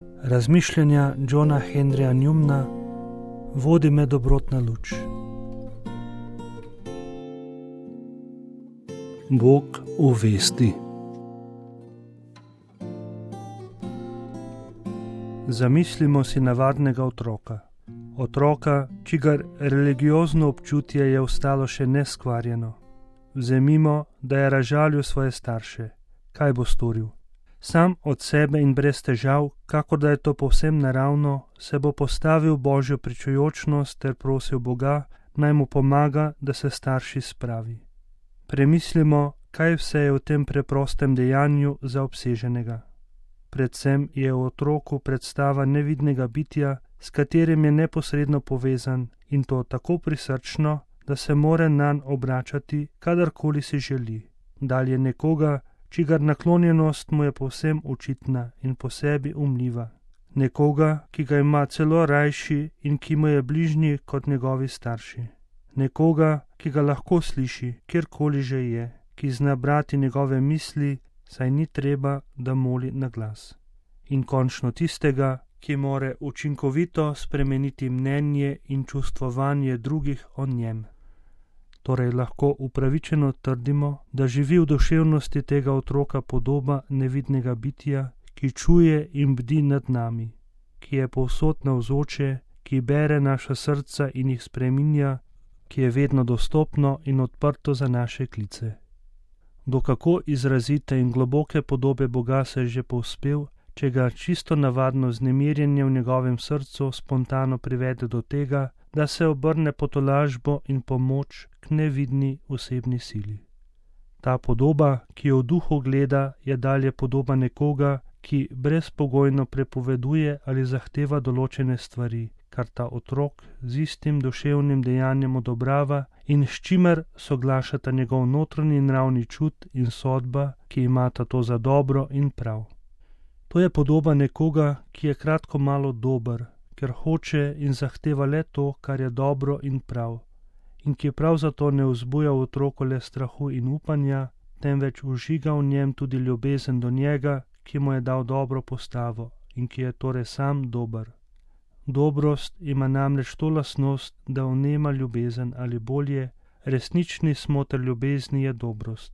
Razmišljanja Johna Henryja Newmana vodi me dobrotna luč. Bog v vesti. Zamislimo si navadnega otroka, čigar religiozno občutje je ostalo še neskvarjeno. Vzemimo, da je razžalil svoje starše. Kaj bo storil? Sam od sebe in brez težav, kakor da je to povsem naravno, se bo postavil v Božjo pričujočnost ter prosil Boga, naj mu pomaga, da se starši spravi. Premislimo, kaj vse je v tem preprostem dejanju zaobseženega. Predvsem je v otroku predstava nevidnega bitja, s katerim je neposredno povezan, in to tako prisrčno, da se more nanj obračati, kadarkoli si želi. Dalje nekoga, čigar naklonjenost mu je povsem očitna in po sebi umljiva. Nekoga, ki ga ima celo rajši in ki mu je bližnji kot njegovi starši. Nekoga, ki ga lahko sliši, kjerkoli že je, ki zna brati njegove misli, saj ni treba, da moli na glas. In končno tistega, ki more učinkovito spremeniti mnenje in čustvovanje drugih o njem. Torej lahko upravičeno trdimo, da živi v duševnosti tega otroka podoba nevidnega bitja, ki čuje in bdi nad nami, ki je povsod navzoče, ki bere naša srca in jih spreminja, ki je vedno dostopno in odprto za naše klice. Do kako izrazite in globoke podobe Boga se je že povzpel, če ga čisto navadno vznemirjenje v njegovem srcu spontano privede do tega, da se obrne po tolažbo in pomoč k nevidni osebni sili. Ta podoba, ki jo v duhu gleda, je dalje podoba nekoga, ki brezpogojno prepoveduje ali zahteva določene stvari, kar ta otrok z istim duševnim dejanjem odobrava in s čimer soglašata njegov notranji nravni čut in sodba, ki imata to za dobro in prav. To je podoba nekoga, ki je kratko malo dober, ker hoče in zahteva le to, kar je dobro in prav, in ki prav zato ne vzbuja v otroku le strahu in upanja, temveč vžiga v njem tudi ljubezen do njega, ki mu je dal dobro postavo in ki je torej sam dober. Dobrost ima namreč to lastnost, da vnema ljubezen ali bolje, resnični smoter ljubezni je dobrost.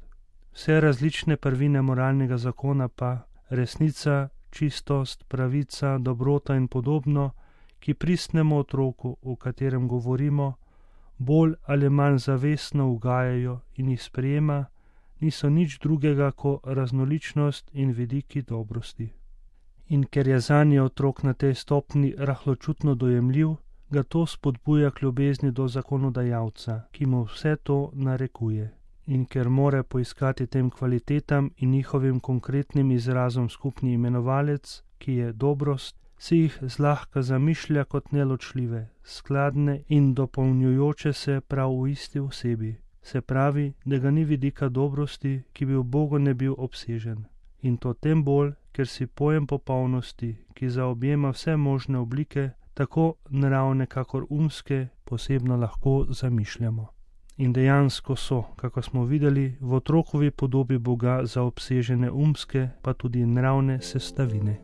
Vse različne prvine moralnega zakona pa, resnica, čistost, pravica, dobrota in podobno, ki pristnemu otroku, o katerem govorimo, bolj ali manj zavestno ugajajo in jih sprejema, niso nič drugega kot raznoličnost in vidiki dobrosti. In ker je zanje otrok na tej stopni rahločutno dojemljiv, ga to spodbuja k ljubezni do zakonodajalca, ki mu vse to narekuje. In ker more poiskati tem kvalitetam in njihovim konkretnim izrazom skupni imenovalec, ki je dobrost, si jih zlahka zamišlja kot neločljive, skladne in dopolnjujoče se prav v isti osebi. Se pravi, da ga ni vidika dobrosti, ki bi v Bogu ne bil obsežen. In to tem bolj, ker si pojem popolnosti, ki zaobjema vse možne oblike, tako naravne kakor umske, posebno lahko zamišljamo. In dejansko so, kako smo videli, v otrokovi podobi Boga zaobsežene umske, pa tudi naravne sestavine.